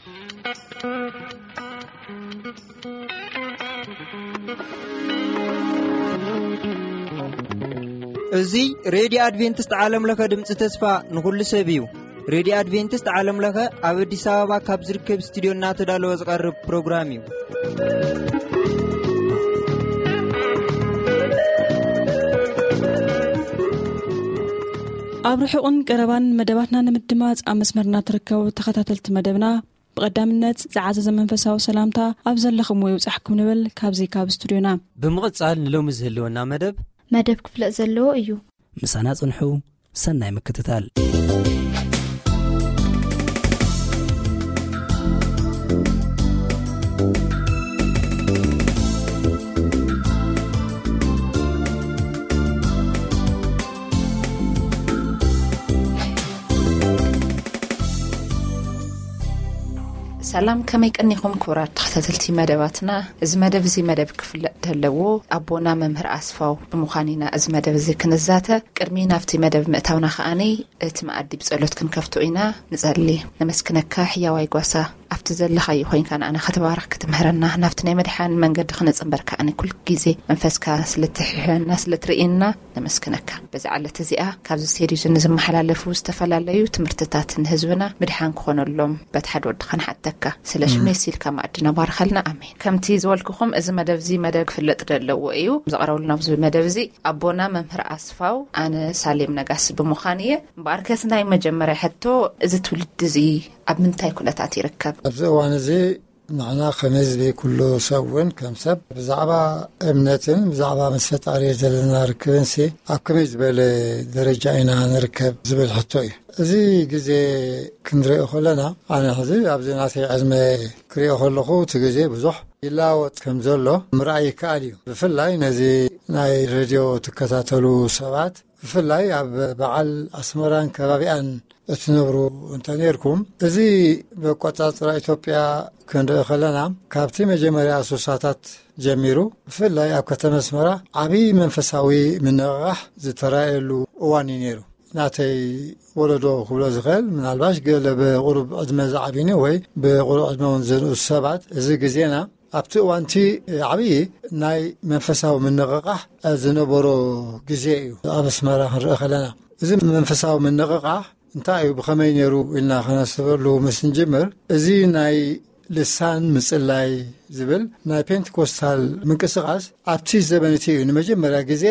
እዚ ሬድዮ ኣድቬንቲስት ዓለም ለኸ ድምፂ ተስፋ ንኹሉ ሰብ እዩ። ሬድዮ ኣድቬንቲስት ዓለም ለኸ ኣብ ኣዲስ ኣበባ ካብ ዝርከብ ስቱዲዮ እናተዳለወ ዝቐርብ ፕሮግራም እዩ። ኣብ ርሑቕን ቀረባን መደባትና ንምድማፅ ኣብ መስመርና ትርከቡ ተኸታተልቲ መደብና፣ ብቐዳምነት ዝዓዘዘ መንፈሳዊ ሰላምታ ኣብ ዘለኹምዎ ይብጻሕኩም ንብል ካብዚ ካብ ስቱድዮና። ብምቕጻል ንሎሚ ዝህልወና መደብ መደብ ክፍለጥ ዘለዎ እዩ። ምሳና ጽንሑ። ሰናይ ምክትታል። ሰላም፣ ከመይ ቀኒኹም ክቡራት ተኸታተልቲ መደባትና? እዚ መደብ እዚ መደብ ክፍለጥ ዘለዎ ኣቦና መምህር ኣስፋው ብምዃን ኢና እዚ መደብ እዚ ክንዛተ። ቅድሚ ናብቲ መደብ ምእታውና ከኣኒ እቲ መኣዲ ብጸሎት ክንከፍቶ ኢና። ንጸሊ። ነመስግነካ ሕያዋይ ጓሳ፣ ኣብቲ ዘለኻዮ ኮይንካ ንኣና ክትባርኽ ክትምህረና፣ ናብቲ ናይ መድሓን መንገዲ ክነጽንበርካ ኣነ ኩል ግዜ መንፈስካ ስለትሕሕና ስለትርእየና ነመስግነካ። በዚ ዓለት እዚኣ ካብዚ ስቴድዮ እዚ ንዝመሓላለፉ ዝተፈላለዩ ትምህርትታት ንህዝብና ምድሓን ክኾነሎም በቲ ሓደ ወድኻ ንሓተካ። ስለ ሽመይ ሲልካ ማዕድና ባርኸልና። ኣሜን። ከምቲ ዝበልኩኹም እዚ መደብ እዚ መደብ ክፍለጥ ዘለዎ እዩ። ዝቐረብሉ ናብዚ መደብ እዚ ኣቦና መምህር ኣስፋው ኣነ ሳሌም ነጋሲ ብምዃን እየ። እምበኣርከስ ናይ መጀመርያ ሕቶ፣ እዚ ትውልዲ እዚ ኣብ ምንታይ ኩነታት ይርከብ? ኣብዚ እዋን እዚ ንሕና ከም ህዝቢ፣ ኩሉ ሰብ እውን ከም ሰብ ብዛዕባ እምነትን ብዛዕባ ምስ ፈጣሪ ዘለና ርክብንሲ ኣብ ከመይ ዝበለ ደረጃ ኢና ንርከብ ዝብል ሕቶ እዩ። እዚ ግዜ ክንሪኦ ከለና፣ ኣነ ሕዚ ኣብዚ ናተይ ዕድመ ክሪኦ ከለኹ፣ እቲ ግዜ ብዙሕ ይለዋወጥ ከም ዘሎ ምርኣይ ይከኣል እዩ። ብፍላይ ነዚ ናይ ሬድዮ ትከታተሉ ሰባት፣ ብፍላይ ኣብ በዓል ኣስመራን ከባቢኣን እትነብሩ እንተ ነርኩም፣ እዚ ብኣቆጻጽራ ኢትዮጵያ ክንርኢ ከለና፣ ካብቲ መጀመርያ ሱሳታት ጀሚሩ፣ ብፍላይ ኣብ ከተማ ኣስመራ ዓቢ መንፈሳዊ ምንቕቓሕ ዝተራእየሉ እዋን እዩ ነይሩ። ናተይ ወለዶ ክብሎ ዝኽእል፣ ምናልባሽ ገለ ብቁሩብ ዕድመ ዝዓቢኒ ወይ ብቁሩብ ዕድመ እውን ዝንኡስ ሰባት፣ እዚ ግዜና ኣብቲ እዋንቲ ዓብዪ ናይ መንፈሳዊ ምንቕቓሕ ዝነበሮ ግዜ እዩ። ኣብ ኣስመራ ክንርኢ ከለና፣ እዚ መንፈሳዊ ምንቕቓሕ እንታይ እዩ፣ ብኸመይ ነይሩ ኢልና ከነስበሉ ምስ ንጅምር፣ እዚ ናይ ልሳን ምጽላይ ዝብል ናይ ፔንቴኮስታል ምንቅስቓስ ኣብቲ ዘበን እቲ እዩ ንመጀመርያ ግዜ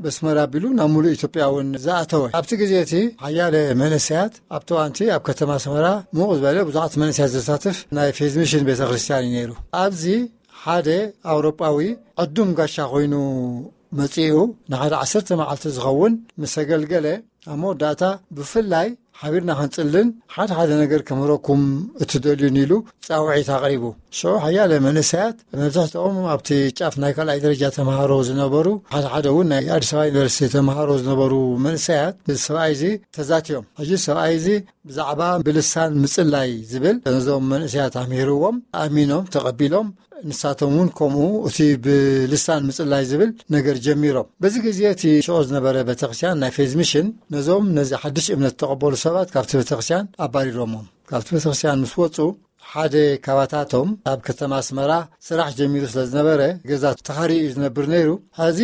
በስመራ ኣቢሉ ናብ ሙሉእ ኢትዮጵያ እውን ዝኣተወ። ኣብቲ ግዜ እቲ ሓያለ መንእሰያት ኣብቲ እዋንቲ ኣብ ከተማ ኣስመራ ምቕ ዝበለ ብዙሓት መንእሰያት ዘሳትፍ ናይ ፌዝ ሚሽን ቤተ ክርስቲያን እዩ ነይሩ። ኣብዚ ሓደ ኣውሮጳዊ ዕዱም ጋሻ ኮይኑ መጺኡ ንሓደ ዓሰርተ መዓልቲ ዝኸውን ምስ ኣገልገለ፣ ኣብ መወዳእታ ብፍላይ ሓቢርና ክንጽልን ሓደ ሓደ ነገር ከምህረኩም እትደልዩን ኢሉ ጻውዒት ኣቕሪቡ። ሽዑ ሓያለ መንእሰያት፣ መብዛሕትኦም ኣብቲ ጫፍ ናይ ካልኣይ ደረጃ ተምሃሮ ዝነበሩ፣ ሓደ ሓደ እውን ናይ ኣዲስ ኣበባ ዩኒቨርሲቲ ተምሃሮ ዝነበሩ መንእሰያት፣ እዚ ሰብኣይ እዚ ተዛትዮም። ሕጂ ሰብኣይ እዚ ብዛዕባ ብልሳን ምጽላይ ዝብል ነዞም መንእሰያት ኣምሂርዎም፣ ኣሚኖም ተቐቢሎም፣ ንሳቶም እውን ከምኡ እቲ ብልሳን ምጽላይ ዝብል ነገር ጀሚሮም። በዚ ግዜ እቲ ሽዑ ዝነበረ ቤተክርስትያን ናይ ፌዝ ሚሽን ነዞም ነዚ ሓድሽ እምነት ዝተቐበሉ ሰባት ካብቲ ቤተክርስትያን ኣባሪሮሞም። ካብቲ ቤተክርስትያን ምስ ወጹ፣ ሓደ ካባታቶም ኣብ ከተማ ኣስመራ ስራሕ ጀሚሩ ስለ ዝነበረ፣ ገዛ ተኻርዩ እዩ ዝነብር ነይሩ። ሕዚ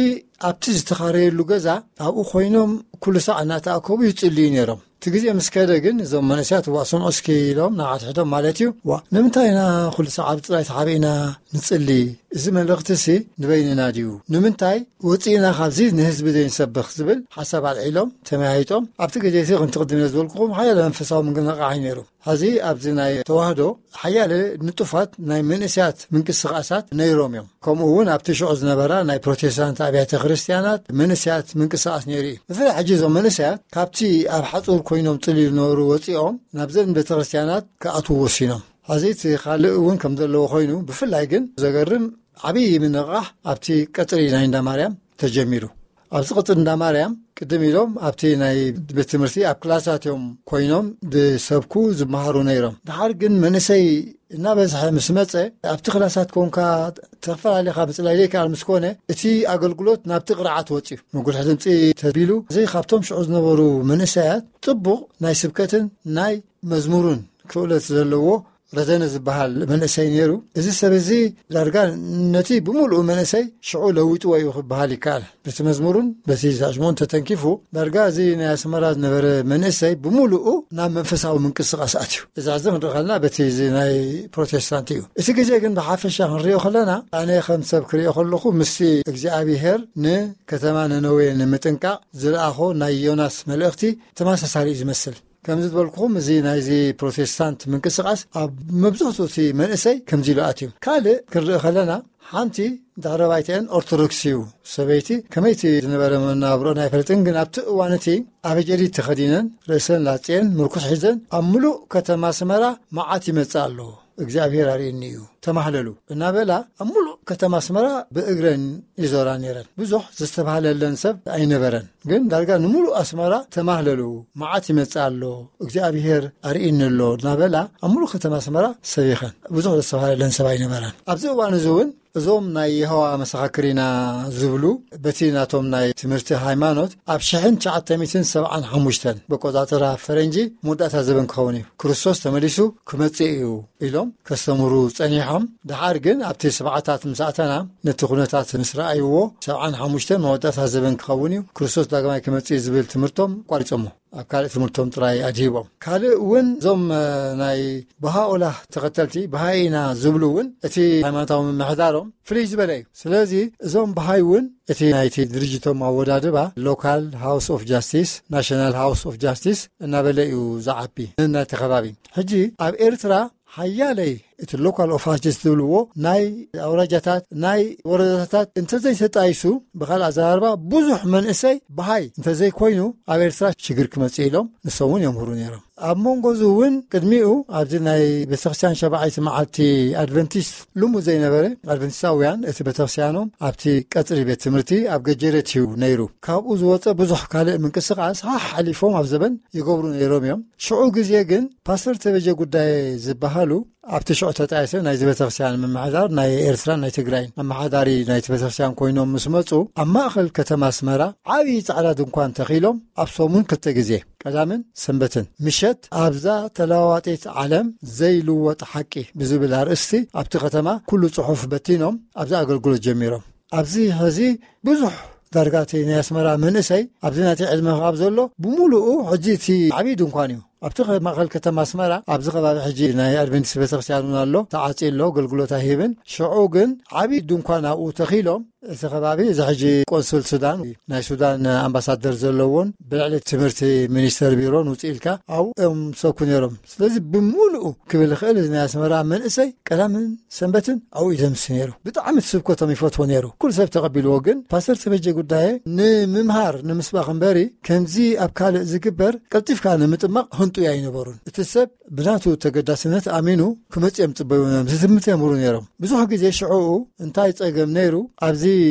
ኣብቲ ዝተኻረየሉ ገዛ ኣብኡ ኮይኖም ኩሉ ሳዕ እናተኣከቡ ይጽልዩ ነይሮም። እቲ ግዜ ምስ ከደ ግን እዞም መንእሰያት፣ "ዋ፣ ስምዑ እስኪ" ኢሎም ንሓድሕዶም ማለት እዩ፣ "ዋ፣ ንምንታይ ኢና ኩሉ ሳዕ ኣብ ጥራይ ተሓቢእና ንጽሊ? እዚ መልእኽትሲ ንበይንና ድዩ? ንምንታይ ወጺእና ካብዚ ንህዝቢ ዘይንሰብኽ?" ዝብል ሓሳብ ኣልዒሎም ተመያይጦም። ኣብቲ ግዜ እቲ፣ ከምቲ ቅድም ኢለ ዝበልኩኹም፣ ሓያለ መንፈሳዊ ምንቅስቓስ እዩ ነይሩ። ሕዚ ኣብዚ ናይ ተዋህዶ ሓያለ ንጡፋት ናይ መንእሰያት ምንቅስቓሳት ነይሮም እዮም። ከምኡ እውን ኣብቲ ሽዑ ዝነበራ ናይ ፕሮቴስታንት ኣብያተ ክርስቲያናት መንእሰያት ምንቅስቓስ ነይሩ እዩ። ብፍላይ ሕጂ እዞም መንእሰያት ካብቲ ኣብ ሓጹር ኮይኖም ጽልዩ ዝነበሩ ወጺኦም ናብዘን ቤተ ክርስቲያናት ክኣትዉ ወሲኖም። ሕዚ እቲ ካልእ እውን ከም ዘለዎ ኮይኑ፣ ብፍላይ ግን ዘገርም ዓብዪ ምንቕቓሕ ኣብቲ ቀጽሪ ናይ እንዳ ማርያም ተጀሚሩ። ኣብዚ ቀጽሪ እንዳ ማርያም ቅድም ኢሎም ኣብቲ ናይ ቤት ትምህርቲ ኣብ ክላሳት እዮም ኮይኖም ዝሰብኩ ዝመሃሩ ነይሮም። ድሓር ግን መንእሰይ እናበዝሐ ምስ መጸ፣ ኣብቲ ክላሳት ኮንካ ተፈላለኻ ምጽላይ ዘይከኣል ምስ ኮነ፣ እቲ ኣገልግሎት ናብቲ ቅርዓት ወጺኡ፣ ምጉልሒ ድምጺ ተቢሉ፣ እዚ ካብቶም ሽዑ ዝነበሩ መንእሰያት ጽቡቕ ናይ ስብከትን ናይ መዝሙርን ክእለት ዘለዎ ረዘነ ዝበሃል መንእሰይ ነይሩ። እዚ ሰብ እዚ ዳርጋ ነቲ ብምሉኡ መንእሰይ ሽዑ ለዊጥዎ እዩ ክበሃል ይከኣል። በቲ መዝሙሩን በቲ ሳሽሞን ተተንኪፉ፣ ዳርጋ እዚ ናይ ኣስመራ ዝነበረ መንእሰይ ብምሉኡ ናብ መንፈሳዊ ምንቅስቃስ ኣትዩ። እዚ ሕዚ ክንርኢ ከለና በቲ እዚ ናይ ፕሮቴስታንት እዩ። እቲ ግዜ ግን ብሓፈሻ ክንሪኦ ከለና፣ ኣነ ከም ሰብ ክሪኦ ከለኹ፣ ምስቲ እግዚኣብሄር ንከተማ ነነዌ ንምጥንቃቕ ዝለኣኾ ናይ ዮናስ መልእኽቲ ተመሳሳሊ እዩ ዝመስል። ከምዚ ዝበልኩኹም፣ እዚ ናይዚ ፕሮቴስታንት ምንቅስቃስ ኣብ መብዛሕትኡ እቲ መንእሰይ ከምዚ ኢሉ ኣትዩ። ካልእ ክንርኢ ከለና፣ ሓንቲ ድሕረ ባይትአን ኦርቶዶክስ እዩ። ሰበይቲ ከመይቲ ዝነበረ መናብሮን ኣይፈልጥን፣ ግን ኣብቲ እዋን እቲ ኣበጀዲድ ተኸዲነን፣ ርእሰን ላጽየን፣ ምርኩስ ሒዘን፣ ኣብ ምሉእ ከተማ ኣስመራ መዓት ይመጽእ ኣሎ፣ እግዚኣብሔር ኣርእየኒ እዩ፣ ተማህለሉ እናበላ ኣብ ምሉእ ከተማ ኣስመራ ብእግረን ይዞራ ነይረን። ብዙሕ ዝተባህለለን ሰብ ኣይነበረን፣ ግን ዳርጋ ንምሉእ ኣስመራ ተማህለሉ፣ መዓት ይመጽእ ኣሎ፣ እግዚኣብሔር ኣርእየኒ ኣሎ እናበላ ኣብ ምሉእ ከተማ ኣስመራ ሰቢኸን። ብዙሕ ዝተባህለለን ሰብ ኣይነበረን። ኣብዚ እዋን እዚ እውን እዞም ናይ የሆዋ መሰኻክር ኢና ዝብሉ፣ በቲ ናቶም ናይ ትምህርቲ ሃይማኖት፣ ኣብ ሽሕን ትሽዓተ ሚእትን ሰብዓን ሓሙሽተን በቆጻጽራ ፈረንጂ መወዳእታ ዘበን ክኸውን እዩ፣ ክርስቶስ ተመሊሱ ክመጽእ እዩ ኢሎም ከስተምሩ ጸኒሖም። ደሓር ግን ኣብቲ ሰብዓታት ምስ ኣተና፣ ነቲ ኩነታት ምስ ረኣይዎ፣ ሰብዓን ሓሙሽተን መወዳእታ ዘበን ክኸውን እዩ፣ ክርስቶስ ዳግማይ ክመጽእ እዩ ዝብል ትምህርቶም ኣቋሪጾሞ። ኣብ ካልእ ትምህርቶም ጥራይ ኣድሂቦም። ካልእ እውን እዞም፣ እ፣ ናይ በሃኦላ ተኸተልቲ፣ በሃይ ኢና ዝብሉ እውን፣ እቲ ሃይማኖታዊ ምምሕዳሮም ፍልይ ዝበለ እዩ። ስለዚ እዞም በሃይ እውን እቲ ናይቲ ድርጅቶም ኣወዳድባ፣ ሎካል ሃውስ ኦፍ ጃስቲስ፣ ናሽናል ሃውስ ኦፍ ጃስቲስ እናበለ እዩ ዝዓቢ፣ ነናይቲ ከባቢ። ሕጂ ኣብ ኤርትራ ሓያለይ እቲ ሎካል ኦፍ ጃስቲስ ዝብልዎ ናይ ኣውራጃታት፣ ናይ ወረዳታት እንተዘይተጣይሱ፣ ብኻልእ ኣዘራርባ ብዙሕ መንእሰይ በሃይ እንተዘይኮይኑ ኣብ ኤርትራ ሽግር ክመጽእ ኢሎም ንሶም እውን የምህሩ ነይሮም። ኣብ መንጎ እዚ እውን ቅድሚኡ ኣብዚ ናይ ቤተክርስትያን ሸባዓይቲ መዓልቲ ኣድቨንቲስት ልሙድ ዘይነበረ፣ ኣድቨንቲስታውያን እቲ ቤተክርስትያኖም ኣብቲ ቀጽሪ ቤት ትምህርቲ ኣብ ገጀረት እዩ ነይሩ። ካብኡ ዝወጸ ብዙሕ ካልእ ምንቅስቃስ ሓሕ ሓሊፎም ኣብ ዘበን ይገብሩ ነይሮም እዮም። ሽዑ ግዜ ግን ፓስተር ተበጀ ጉዳይ ዝበሃሉ ኣብቲ ሽዑ ተጣየሰ ናይዚ ቤተክርስትያን ምምሕዳር ናይ ኤርትራን ናይ ትግራይን ኣመሓዳሪ ናይቲ ቤተክርስትያን ኮይኖም ምስ መጹ፣ ኣብ ማእከል ከተማ ኣስመራ ዓብዪ ጻዕዳ ድንኳን ተኺሎም ኣብ ሰሙን ክልተ ግዜ፣ ቀዳምን ሰንበትን ምሸት፣ ኣብዛ ተለዋዋጢት ዓለም ዘይልወጥ ሓቂ ብዝብል ኣርእስቲ ኣብቲ ከተማ ኩሉ ጽሑፍ በቲኖም ኣብዚ ኣገልግሎት ጀሚሮም። ኣብዚ ሕዚ ብዙሕ ዳርጋ እቲ ናይ ኣስመራ መንእሰይ ኣብዚ ናተይ ዕድመ ካብ ዘሎ ብምሉኡ ሕጂ እቲ ዓብዪ ድንኳን እዩ። ኣብቲ ከ-፣ ማእከል ከተማ ኣስመራ ኣብዚ ከባቢ ሕጂ ናይ ኣድቨንቲስት ቤተክርስትያን እውን ኣሎ፣ ተዓጽዩ ኣሎ፣ ኣገልግሎት ኣይህብን። ሽዑ ግን ዓብዪ ድንኳን ኣብኡ ተኺሎም፣ እቲ ከባቢ እዚ ሕጂ ቆንስል ሱዳን፣ ናይ ሱዳን ኣምባሳደር ዘለዎን ብልዕሊ ትምህርቲ ሚኒስተር ቢሮን ውፅእ ኢልካ ኣብኡ እዮም ሰብኩ ነይሮም። ስለዚ ብምሉኡ ክብል ይኽእል፣ እዚ ናይ ኣስመራ መንእሰይ ቀዳምን ሰንበትን ኣብኡ እዩ ዘምሲ ነይሩ። ብጣዕሚ እቲ ስብከቶም ይፈትዎ ነይሩ። ኩሉ ሰብ ተቐቢልዎ። ግን ፓስተር ተበጀ ጉዳየ ንምምሃር፣ ንምስባኽ እምበሪ፣ ከምዚ ኣብ ካልእ ዝግበር ቀልጢፍካ ንምጥማቕ ህንጡይ ኣይነበሩን። እቲ ሰብ ብናቱ ተገዳስነት ኣሚኑ ክመጽእ እዮም ጽበዩ ነይሮም። ዝትምት የምህሩ ነይሮም። ብዙሕ ግዜ ሽዕኡ እንታይ ጸገም ነይሩ፣ ኣብዚ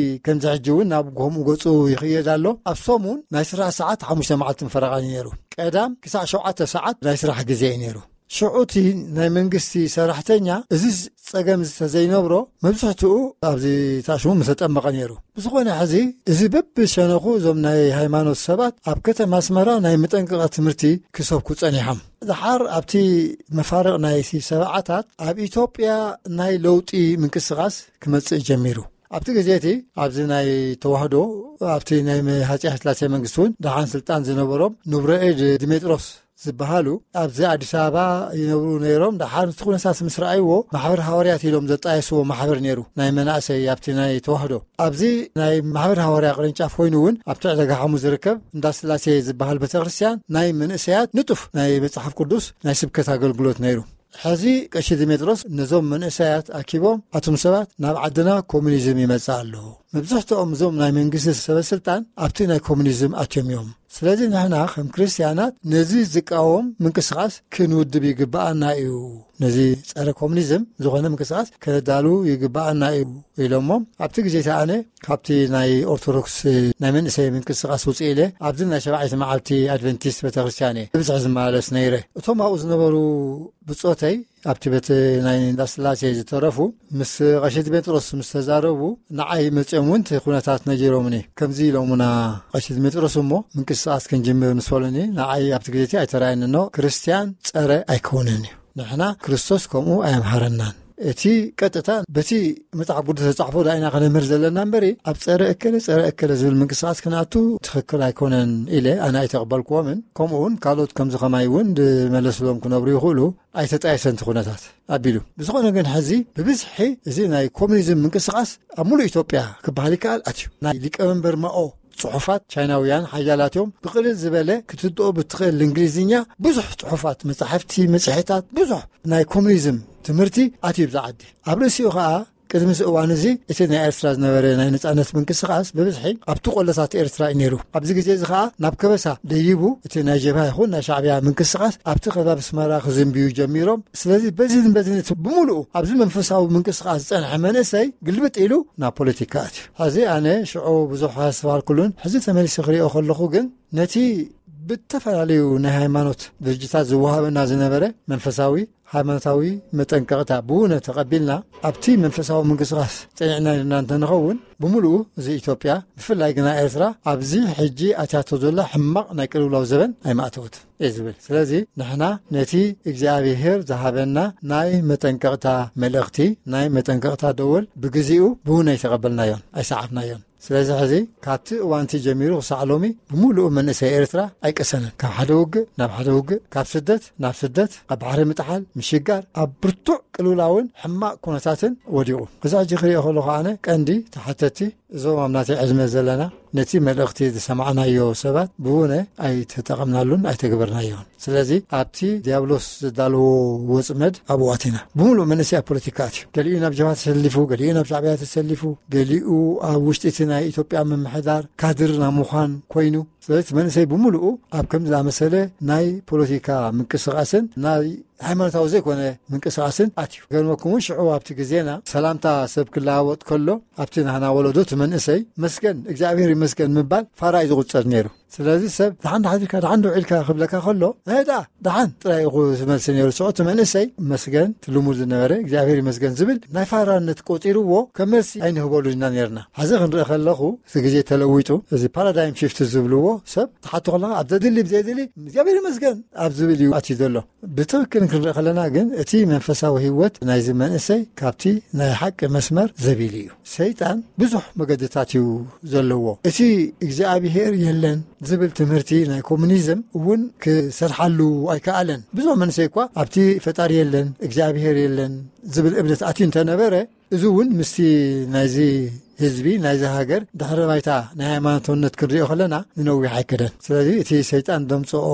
ከምዚ ሕጂ እውን ናብ ከምኡ ገጹ ይኽየድ ኣሎ። ኣብ ሰሙን ናይ ስራሕ ሰዓት ሓሙሽተ መዓልትን ፈረቓን እዩ ነይሩ። ቀዳም ክሳዕ ሸውዓተ ሰዓት ናይ ስራሕ ግዜ እዩ ነይሩ። ሽዑ እቲ ናይ መንግስቲ ሰራሕተኛ እዚ ጸገም ዝተዘይነብሮ፣ መብዝሕትኡ ኣብዚ ታሽሙ ምተጠመቐ ነይሩ። ብዝኾነ ሕዚ እዚ በብሸነኹ እዞም ናይ ሃይማኖት ሰባት ኣብ ከተማ ኣስመራ ናይ መጠንቀቕታ ትምህርቲ ክሰብኩ ጸኒሖም። ደሓር ኣብቲ መፋርቕ ናይቲ ሰብዓታት ኣብ ኢትዮጵያ ናይ ለውጢ ምንቅስቓስ ክመጽእ ጀሚሩ። ኣብቲ ግዜ እቲ ኣብዚ ናይ ተዋህዶ፣ ኣብቲ ናይ መ-፣ ሃጺ ሃይለስላሴ መንግስቲ እውን ደሓን ስልጣን ዝነበሮም ንቡረ እድ ዲሜጥሮስ ዝበሃሉ ኣብዚ ኣዲስ ኣበባ ይነብሩ ነይሮም። ደሓር እቲ ኩነታት ምስ ረኣይዎ፣ ማሕበር ሃዋርያት ኢሎም ዘጣየስዎ ማሕበር ነይሩ፣ ናይ መናእሰይ ኣብቲ ናይ ተዋህዶ። ኣብዚ ናይ ማሕበር ሃዋርያ ቅርንጫፍ ኮይኑ እውን ኣብቲ ዕዳጋ ሓሙስ ዝርከብ እንዳ ስላሴ ዝበሃል ቤተክርስትያን ናይ መንእሰያት ንጡፍ ናይ መጽሓፍ ቅዱስ ናይ ስብከት ኣገልግሎት ነይሩ። ሕዚ ቀሺ ዲሜጥሮስ ነዞም መንእሰያት ኣኪቦም፣ ኣቱም ሰባት፣ ናብ ዓድና ኮሙኒዝም ይመጽእ ኣሎ። መብዛሕትኦም እዞም ናይ መንግስቲ ሰበ ስልጣን ኣብቲ ናይ ኮሙኒዝም ኣትዮም እዮም። ስለዚ ንሕና ከም ክርስትያናት ነዚ ዝቃወም ምንቅስቃስ ክንውድብ ይግብኣና እዩ። ነዚ ጸረ ኮሙኒዝም ዝኾነ ምንቅስቃስ ከነዳሉ ይግብኣና እዩ ኢሎሞም። ኣብቲ ግዜ እቲ ኣነ ካብቲ ናይ ኦርቶዶክስ ናይ መንእሰይ ምንቅስቃስ ውፅእ ኢለ ኣብዚ ናይ ሸባዒቲ መዓልቲ ኣድቨንቲስት ቤተክርስትያን እየ ብብዝሒ ዝመላለስ ነይረ። እቶም ኣብኡ ዝነበሩ ብጾተይ ኣብቲ ቤት ናይ እንዳስላሴ ዝተረፉ ምስ ቀሺ ዲሜጥሮስ ምስ ተዛረቡ፣ ንዓይ መጺኦም እውን እቲ ኩነታት ነጊሮምኒ። ከምዚ ኢሎሙና ቀሺ ዲሜጥሮስ፣ እሞ ምንቅስቃስ ክንጅምር ምስ በሉኒ፣ ንዓይ ኣብቲ ግዜ እቲ ኣይተራእየኒ፣ ኖ፣ ክርስትያን ጸረ ኣይከውንን እዩ። ንሕና ክርስቶስ ከምኡ ኣየምሃረናን። እቲ ቀጥታ በቲ መጽሓፍ ቅዱስ ተጻሕፎ ዳይና ከነምህር ዘለና እምበሪ፣ ኣብ ጸረ እከለ፣ ጸረ እከለ ዝብል ምንቅስቃስ ክንኣቱ ትኽክል ኣይኮነን ኢለ ኣነ ኣይተቐበልክዎምን። ከምኡ እውን ካልኦት ከምዚ ከማይ እውን ዝመለስሎም ክነብሩ ይኽእሉ፣ ኣይተጣየሰን እቲ ኩነታት ኣቢሉ። ብዝኾነ ግን ሕዚ ብብዝሒ እዚ ናይ ኮሚኒዝም ምንቅስቃስ ኣብ ሙሉእ ኢትዮጵያ ክበሃል ይከኣል ኣትዩ። ናይ ሊቀመንበር ማኦ ጽሑፋት ቻይናውያን ሓያላት እዮም። ብቕልል ዝበለ ክትድኦ ብትኽእል እንግሊዝኛ ብዙሕ ጽሑፋት፣ መጻሕፍቲ፣ መጽሔታት፣ ብዙሕ ናይ ኮሚኒዝም ትምህርቲ ኣትዩ ብዛ ዓዲ። ኣብ ርእሲኡ ኸኣ ቅድሚ እዚ እዋን እዚ እቲ ናይ ኤርትራ ዝነበረ ናይ ነጻነት ምንቅስቃስ ብብዝሒ ኣብቲ ቆለታት ኤርትራ እዩ ነይሩ። ኣብዚ ግዜ እዚ ኸኣ ናብ ከበሳ ደይቡ እቲ ናይ ጀብሃ ይኹን ናይ ሻዕብያ ምንቅስቃስ ኣብቲ ከባቢ ኣስመራ ክዝንብዩ ጀሚሮም። ስለዚ በዚን በዚን እቲ ብምሉኡ ኣብዚ መንፈሳዊ ምንቅስቃስ ዝጸንሐ መንእሰይ ግልብጥ ኢሉ ናብ ፖለቲካ ኣትዩ። ሕዚ ኣነ ሽዑ ብዙሕ ኣስተባሃልኩሉን ሕዚ ተመሊሰ ክሪኦ ከለኹ ግን ነቲ ብተፈላለዩ ናይ ሃይማኖት ድርጅታት ዝወሃበና ዝነበረ መንፈሳዊ ሃይማኖታዊ መጠንቀቕታ ብውነ ተቐቢልና ኣብቲ መንፈሳዊ ምንቅስቃስ ጸኒዕና ኢልና እንተንኸውን ብምሉኡ እዚ ኢትዮጵያ ብፍላይ ግና ኤርትራ ኣብዚ ሕጂ ኣትያቶ ዘላ ሕማቕ ናይ ቅልውላው ዘበን ኣይማእተወትን እየ ዝብል። ስለዚ ንሕና ነቲ እግዚኣብሔር ዝሃበና ናይ መጠንቀቕታ መልእኽቲ፣ ናይ መጠንቀቕታ ደወል ብግዜኡ ብውነ ኣይተቐበልናዮን ኣይሰዓብናዮን። ስለዚ ሕዚ ካብቲ እዋንቲ ጀሚሩ ክሳዕ ሎሚ ብምሉኡ መንእሰይ ኤርትራ ኣይቀሰነን። ካብ ሓደ ውግእ ናብ ሓደ ውግእ፣ ካብ ስደት ናብ ስደት፣ ኣብ ባሕሪ ምጥሓል፣ ምሽጋር፣ ኣብ ብርቱዕ ቅልውላውን ሕማቕ ኩነታትን ወዲቑ። እዚ ሕጂ ክሪኦ ከለኹ ኣነ ቀንዲ ተሓተቲ እዞም ኣብ ናተይ ዕድመ ዘለና ነቲ መልእኽቲ ዝሰማዕናዮ ሰባት ብውነ ኣይተጠቐምናሉን ኣይተግበርናዮን። ስለዚ ኣብቲ ዲያብሎስ ዘዳለዎ ወጽመድ ኣብኡ ኣቲና። ብምሉእ መንእሰይ ኣብ ፖለቲካ ኣትዩ። ገሊኡ ናብ ጀብሃ ተሰሊፉ፣ ገሊኡ ናብ ሻዕብያ ተሰሊፉ፣ ገሊኡ ኣብ ውሽጢ እቲ ናይ ኢትዮጵያ ምምሕዳር ካድር ናብ ምዃን ኮይኑ። ስለዚ እቲ መንእሰይ ብምሉኡ ኣብ ከምዚ ዝኣመሰለ ናይ ፖለቲካ ምንቅስቃስን ናይ ሃይማኖታዊ ዘይኮነ ምንቅስቃስን ኣትዩ። ገርመኩም እውን ሽዑ ኣብቲ ግዜና ሰላምታ ሰብ ክለዋወጥ ከሎ ኣብቲ ናህና ወለዶ እቲ መንእሰይ መስገን፣ እግዚኣብሔር ይመስገን ምባል ፋራ እዩ ዝቑጸር ነይሩ። ስለዚ ሰብ ደሓን ዳሓን ኢልካ፣ ደሓን ዶ ኢልካ ክብለካ ከሎ፣ "እህ ደኣ፣ ደሓን" ጥራይ ኢኹ ዝመልሲ ነይሩ። ሽዑ እቲ መንእሰይ መስገን፣ እቲ ልሙድ ዝነበረ እግዚኣብሔር ይመስገን ዝብል ናይ ፋራነት ቆጺርዎ ከም መልሲ ኣይንህበሉን ኢና ነይርና። ሕዚ ክንርኢ ከለኹ እቲ ግዜ ተለዊጡ፣ እዚ ፓራዳይም ሺፍት ዝብልዎ ሰብ ትሓቶ ከለኻ ኣብ ዘድሊ ብዘይድሊ እግዚኣብሔር ይመስገን ኣብ ዝብል እዩ ኣትዩ ዘሎ። ብትኽክል ክንርኢ ከለና ግን እቲ መንፈሳዊ ህይወት ናይዚ መንእሰይ ካብቲ ናይ ሓቂ መስመር ዘቢሉ እዩ። ሰይጣን ብዙሕ መገድታት እዩ ዘለዎ። እቲ እግዚኣብሔር የለን ዝብል ትምህርቲ ናይ ኮሙኒዝም እውን ክሰርሓሉ ኣይከኣለን። ብዙሕ መንእሰይ እኳ ኣብቲ ፈጣሪ የለን፣ እግዚኣብሔር የለን ዝብል እምነት ኣትዩ እንተነበረ፣ እዚ እውን ምስቲ ናይዚ ህዝቢ፣ ናይዚ ሃገር ድሕረ ባይታ ናይ ሃይማኖታውነት ክንሪኦ ከለና ንነዊሕ ኣይከደን። ስለዚ እቲ ሰይጣን ዘምጽኦ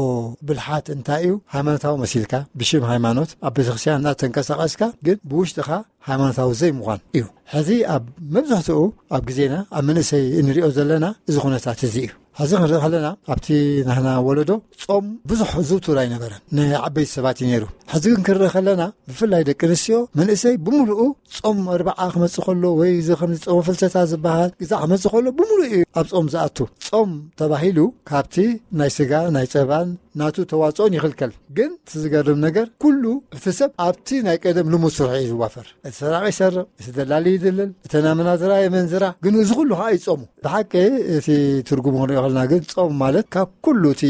ብልሓት እንታይ እዩ? ሃይማኖታዊ መሲልካ ብሽም ሃይማኖት ኣብ ቤተክርስትያን እናተንቀሳቐስካ ግን ብውሽጥኻ ሃይማኖታዊ ዘይምዃን እዩ። ሕዚ ኣብ መብዛሕትኡ ኣብ ግዜና ኣብ መንእሰይ እንሪኦ ዘለና እዚ ኩነታት እዚ እዩ። ሕዚ ክንርኢ ከለና ኣብቲ ናህና ወለዶ ጾም ብዙሕ ዝውቱር ኣይነበረን፣ ንዓበይቲ ሰባት እዩ ነይሩ። ሕዚ ግን ክንርኢ ከለና ብፍላይ ደቂ ኣንስትዮ መንእሰይ ብምሉኡ ጾም ኣርብዓ ክመጽእ ከሎ ወይ እዚ ከምዚ ጾም ፍልሰታ ዝበሃል ግዛ ክመጽእ ከሎ ብምሉኡ እዩ ኣብ ጾም ዝኣቱ። ጾም ተባሂሉ ካብቲ ናይ ስጋ ናይ ጸባን ናቱ ተዋጽኦን ይኽልከል። ግን እቲ ዝገርም ነገር ኩሉ እቲ ሰብ ኣብቲ ናይ ቀደም ልሙድ ስርሑ እዩ ዝዋፈር። እቲ ሰራቂ ይሰርቕ፣ እቲ ደላሊ ይድልል፣ እቲ ናመናዝራ የመንዝራ። ግን እዚ ኩሉ ከዓ ይጾሙ። ብሓቂ እቲ ትርጉሙ ክንሪኦ ከለና ግን ጾም ማለት ካብ ኩሉ እቲ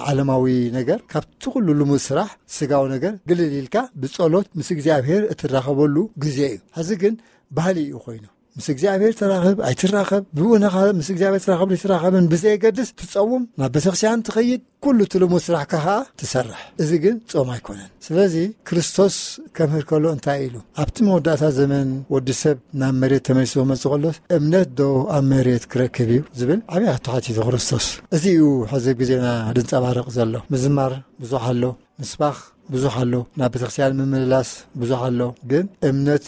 ዓለማዊ ነገር፣ ካብቲ ኩሉ ልሙድ ስራሕ ስጋዊ ነገር ግልል ኢልካ ብጸሎት ምስ እግዚኣብሔር እትራኸበሉ ግዜ እዩ። ሕዚ ግን ባህሊ እዩ ኮይኑ። ምስ እግዚኣብሔር ተራኸብ ኣይትራኸብ፣ ብእውነኻ ምስ እግዚኣብሔር ተራኸብ ኣይትራኸብን ብዘየገድስ ትጸውም፣ ናብ ቤተክርስትያን ትኸይድ፣ ኩሉ እቲ ልሙድ ስራሕካ ኸዓ ትሰርሕ። እዚ ግን ጾም ኣይኮነን። ስለዚ ክርስቶስ ከምህር ከሎ እንታይ ኢሉ? ኣብቲ መወዳእታ ዘመን ወዲ ሰብ ናብ መሬት ተመሊሱ ክመጽእ ከሎስ እምነት ዶ ኣብ መሬት ክረክብ እዩ ዝብል ዓብዪ ሕቶ ሓቲቱ ክርስቶስ። እዚ እዩ ሕዚ ኣብ ግዜና ዝንጸባረቕ ዘሎ። ምዝማር ብዙሕ ኣሎ፣ ምስባኽ ብዙሕ ኣሎ፣ ናብ ቤተክርስትያን ምምልላስ ብዙሕ ኣሎ። ግን እምነት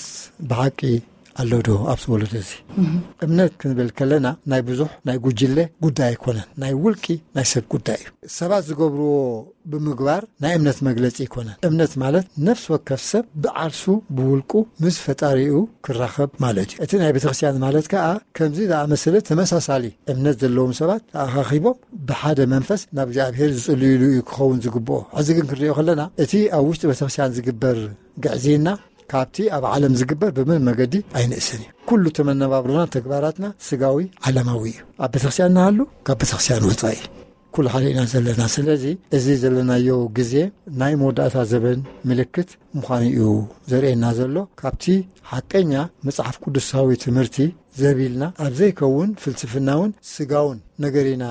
ብሓቂ ኣሎ ዶ ኣብዚ ወለዶ እዚ? እምነት ክንብል ከለና ናይ ብዙሕ ናይ ጉጅለ ጉዳይ ኣይኮነን፣ ናይ ውልቂ ናይ ሰብ ጉዳይ እዩ። ሰባት ዝገብርዎ ብምግባር ናይ እምነት መግለጺ ኣይኮነን። እምነት ማለት ነፍሲ ወከፍ ሰብ ብዓርሱ ብውልቁ ምስ ፈጣሪኡ ክራኸብ ማለት እዩ። እቲ ናይ ቤተክርስትያን ማለት ከኣ ከምዚ ዝኣመሰለ ተመሳሳሊ እምነት ዘለዎም ሰባት ተኣኻኺቦም ብሓደ መንፈስ ናብ እግዚኣብሔር ዝጽልዩሉ እዩ ክኸውን ዝግብኦ። ሕዚ ግን ክንሪኦ ከለና እቲ ኣብ ውሽጢ ቤተክርስትያን ዝግበር ግዕዝይና ካብቲ ኣብ ዓለም ዝግበር ብምን መገዲ ኣይንእስን እዩ። ኩሉ እቲ መነባብሮና ተግባራትና ስጋዊ ዓለማዊ እዩ። ኣብ ቤተክርስትያን ንሃሉ ካብ ቤተክርስትያን ወጻኢ ኩሉ ሓደ ኢና ዘለና። ስለዚ እዚ ዘለናዮ ግዜ ናይ መወዳእታ ዘበን ምልክት ምዃኑ እዩ ዘርእየና ዘሎ። ካብቲ ሓቀኛ መጽሓፍ ቅዱሳዊ ትምህርቲ ዘቢልና፣ ኣብ ዘይከውን ፍልስፍናውን ስጋውን ነገር ኢና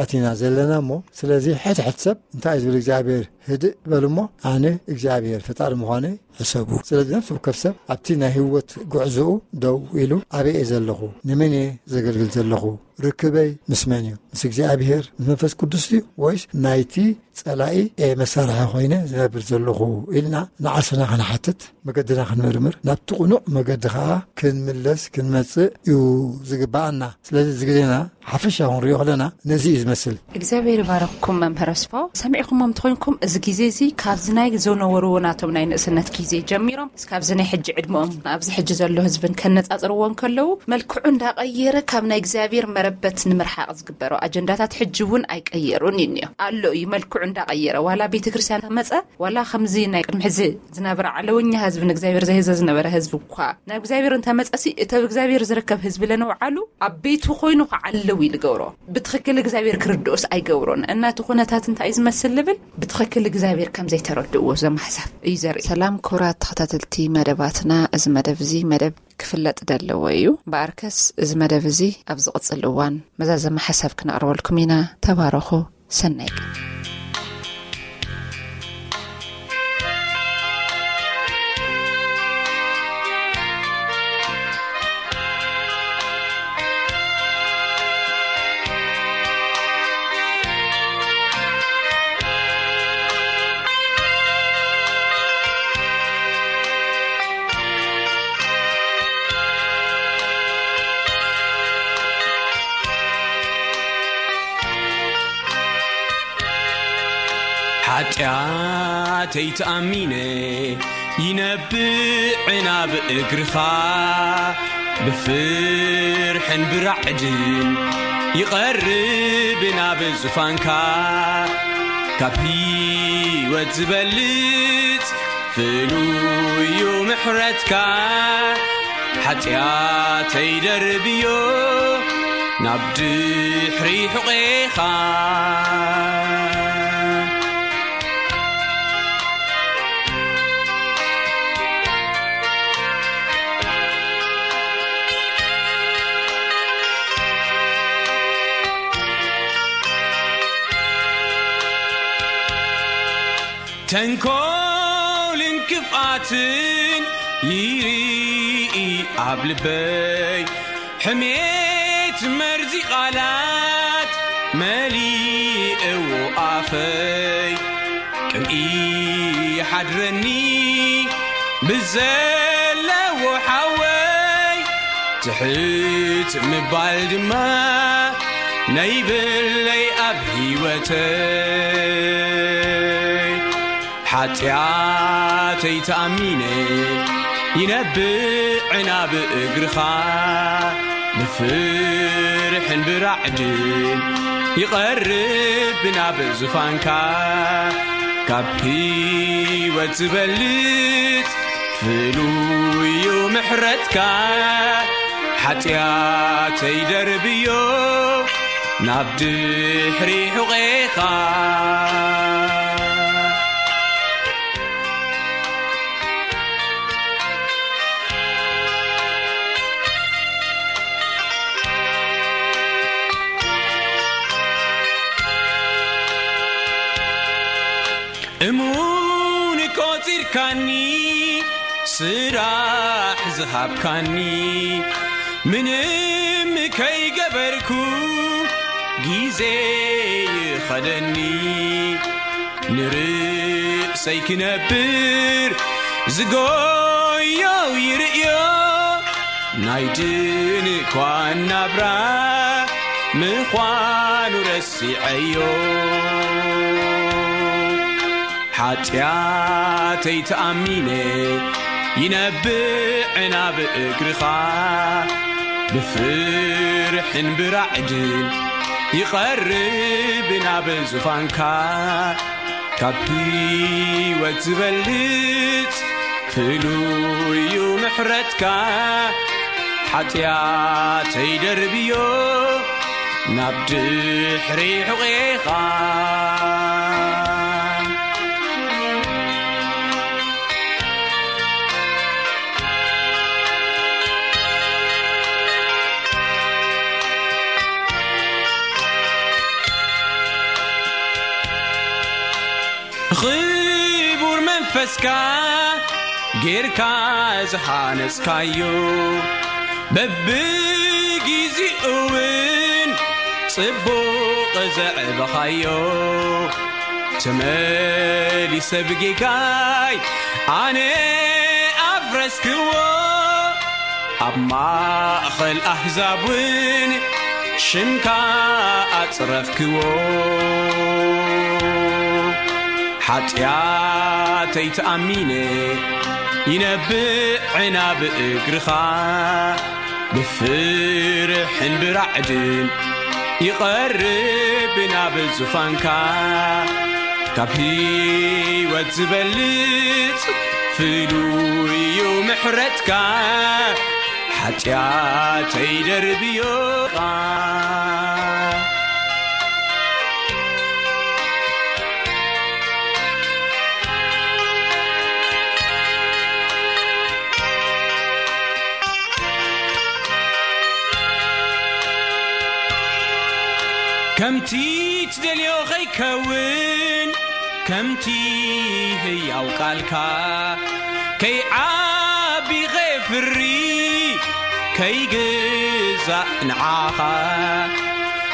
ኣቲና ዘለና እሞ፣ ስለዚ ሕድ ሕድ ሰብ እንታይ እዩ ዝብል? እግዚኣብሔር ህድእ በል እሞ ኣነ እግዚኣብሔር ፈጣሪ ምዃነይ ሕሰቡ። ስለዚ ነፍሲ ወከፍ ሰብ ኣብቲ ናይ ህይወት ጉዕዞኡ ደው ኢሉ፣ ኣበይ እየ ዘለኹ? ንመን እየ ዘገልግል ዘለኹ? ርክበይ ምስ መን እዩ? ምስ እግዚኣብሔር፣ ምስ መንፈስ ቅዱስ እዩ፣ ወይስ ናይቲ ጸላኢ እየ መሳርሒ ኮይነ ዝነብር ዘለኹ? ኢልና ንዓርስና ክንሓትት፣ መገድና ክንምርምር፣ ናብቲ ቅኑዕ መገዲ ኸዓ ክንምለስ ክንመጽእ እዩ ዝግብኣና። ስለዚ እዚ ግዜና ሓፈሻ ክንሪኦ ከለና ነዚ እዩ ዝመስል። እግዚኣብሔር ይባረኽኩም መምህር ኣስፋው። ሰሚዕኹሞም እንተኾይንኩም፣ እዚ ግዜ እዚ ካብዚ ናይ ዝነበርዎ ናቶም ናይ ንእስነት ግዜ ጀሚሮም እስካብዚ ናይ ሕጂ ዕድመኦም ኣብዚ ሕጂ ዘሎ ህዝብን ከነጻጽርዎ እንከለዉ፣ መልክዑ እንዳቐየረ ካብ ናይ እግዚኣብሔር መረበት ንምርሓቕ ዝግበሮ ኣጀንዳታት ሕጂ እውን ኣይቀየሩን እዩ እኒኦ ኣሎ እዩ። መልክዑ እንዳቐየረ፣ ዋላ ቤተ ክርስቲያን ተመጸ፣ ዋላ ከምዚ ናይ ቅድሚ ሕዚ ዝነበረ ዓለወኛ ህዝቢ፣ ንእግዚኣብሔር ዘይህዘ ዝነበረ ህዝቢ እኳ ናብ እግዚኣብሔር እንተመጸሲ፣ እቲ ኣብ እግዚኣብሔር ዝርከብ ህዝቢ ለነውዓሉ ኣብ ቤቱ ኮይኑ ክዓልው እዩ ዝገብሮ። ብትኽክል እግዚኣብሔር ክርድኡስ ኣይገብሮን። እናቲ ኩነታት እንታይ እዩ ዝመስል ልብል፣ ብትኽክል እግዚኣብሔር ከም ዘይተረድእዎ ዘማሕሳብ እዩ ዘርኢ። ሰላም ክቡራት ተኸታተልቲ መደባትና፣ እዚ መደብ እዚ መደብ ክፍለጥ ዘለዎ እዩ። እምበኣርከስ እዚ መደብ እዚ ኣብ ዝቕጽል እዋን መዛዘሚ ሓሳብ ክነቕርበልኩም ኢና። ተባረኹ። ሰናይ ቀን። ሓጢኣተይ ተኣሚነ ይነብዕ ናብ እግርኻ፣ ብፍርሕን ብራዕድን ይቐርብ ናብ ዙፋንካ። ካብ ህይወት ዝበልጽ ፍሉዩ ምሕረትካ፣ ሓጢኣተይ ደርብዮ ናብ ድሕሪ ሕቖኻ። ተንኮልን ክፍኣትን ይርኢ ኣብ ልበይ፣ ሕሜት መርዚ ቃላት መሊእዎ ኣፈይ። ቅንኢ ይሓድረኒ ብዘለዎ ሓወይ፣ ትሕት ምባል ድማ ነይብለይ ኣብ ህይወተይ። ሓጢኣተይ ተኣሚነ ይነብዕ ናብ እግርኻ፣ ብፍርሕን ብራዕድን ይቐርብ ናብ ዙፋንካ። ካብ ህይወት ዝበልጽ ፍሉዩ ምሕረትካ፣ ሓጢኣተይ ደርብዮ ናብ ድሕሪ ሕቖኻ። እሙን ቆጺርካኒ፣ ስራሕ ዝሃብካኒ፣ ምንም ከይገበርኩ ግዜ ይኸደኒ። ንርእሰይ ክነብር ዝጎዮ ይርእዮ፣ ናይ ድንኳን ናብራ ምዃኑ ረሲዐዮ። ሓጢኣተይ ተኣሚነ ይነብዕ ናብ እግርኻ፣ ብፍርሕን ብራዕድን ይቐርብ ናብ ዙፋንካ። ካብ ህይወት ዝበልጽ ፍሉዩ ምሕረትካ፣ ሓጢኣተይ ደርብዮ ናብ ድሕሪ ሕቖኻ። ንኽቡር መንፈስካ ጌርካ ዝሃነጽካዮ፣ በብጊዜኡ እውን ጽቡቕ ዘዕበኻዮ፣ ተመሊሰ ብጌጋይ ኣነ ኣፍረስክዎ። ኣብ ማእኸል ኣህዛብ እውን ሽምካ ኣጽረፍክዎ። ሓጢኣተይ ተኣሚነ ይነብዕ ናብ እግርኻ፣ ብፍርሕን ብራዕድን ይቐርብ ናብ ዙፋንካ። ካብ ህይወት ዝበልጽ ፍሉይ እዩ ምሕረትካ፣ ሓጢኣተይ ደርብዮኻ። ከምቲ ትደልዮ ኸይከውን፣ ከምቲ ህያው ቃልካ ከይዓቢ ኸየፍሪ፣ ከይግዛእ ንዓኻ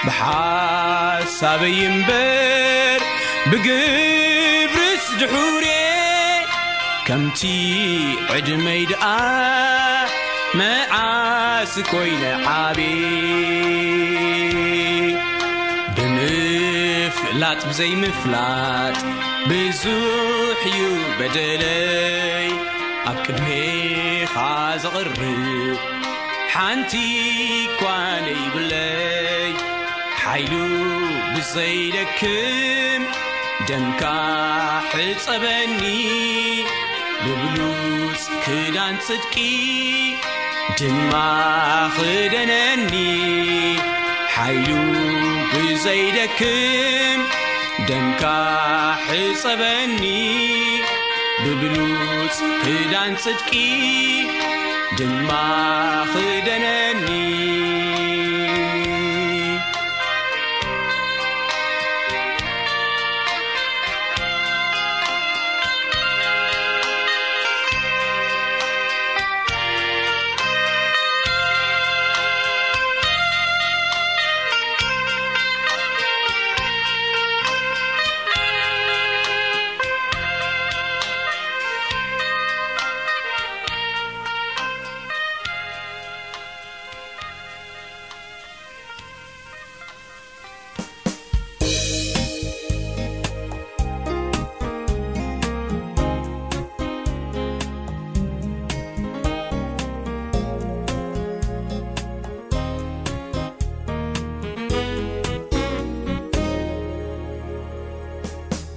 ብሓሳበይ እምበር ብግብርስ ድሑሬ፣ ከምቲ ዕድመይ ደኣ መዓስ ኮይነ ዓቢ። ብምፍላጥ ብዘይምፍላጥ ብዙሕ እዩ በደለይ፣ ኣብ ቅድሜኻ ዘቕርብ ሓንቲ እኳ ነይብለይ። ሓይሉ ብዘይደክም ደምካ ሕጸበኒ፣ ብብሉጽ ክዳን ጽድቂ ድማ ኽደነኒ። ሓይሉ ብዘይደክም ደምካ ሕጸበኒ፣ ብብሉጽ ክዳን ጽድቂ ድማ ኽደነኒ።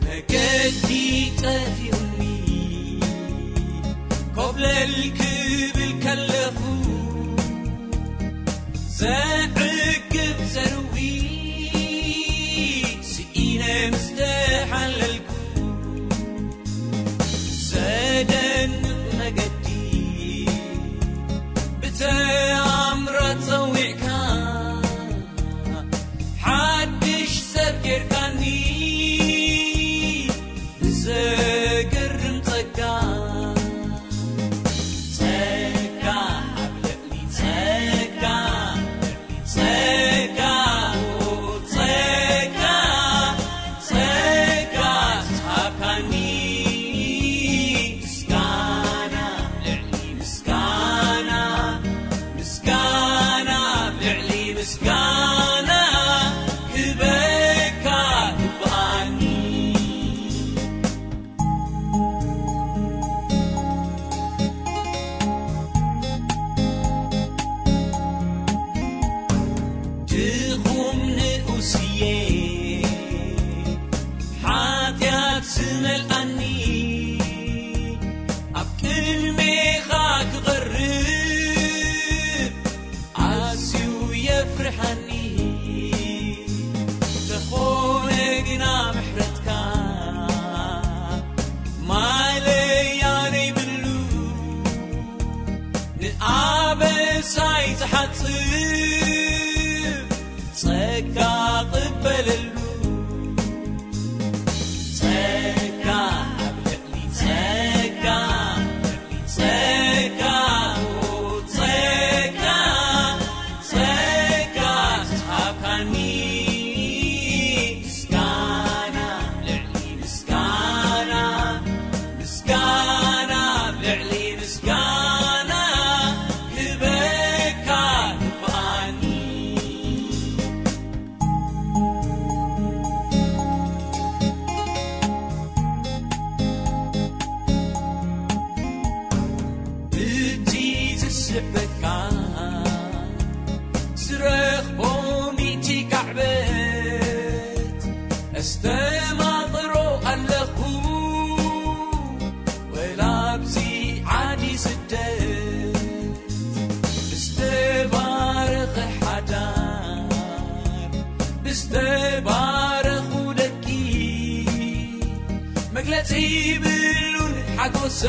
መገዲ ጠፊኡኒ፣ ኮብለል ክብል ከለኹ፣ ዘዕግብ ዘርዊ ስኢነ ምስ ተሓለልኩ፣ ዘደንቕ መገዲ ብተኣምራት ጸዊዕካ፣ ሓድሽ ሰብ ጌርካኒ ብዘገርም ጸጋ። ጸጋ ኣብ ልዕሊ ጸጋ፣ ጸጋ፣ ጸጋ፣ ጸጋ ዝሃብካኒ፣ ምስጋና ልዕሊ ምስጋና፣ ምስጋና ልዕሊ ምስጋና ክበካ ግብኣኒ። ድኹም ንኡስየ ሓጢኣት ዝመልኣኒ፣ ኣብ ቅድሜኻ ክቐርብ ኣዝዩ የፍርሓኒ። ዝሕበካ ዝረኽቦ ሚእቲ ካዕበት ኣስተማቕሮ ኣለኹ። ወላ ኣብዚ ዓዲ ስደት ብዝተባረኸ ሓዳር ብዝተባረኹ ደቂ መግለጺ ይብሉን ሓጎሰ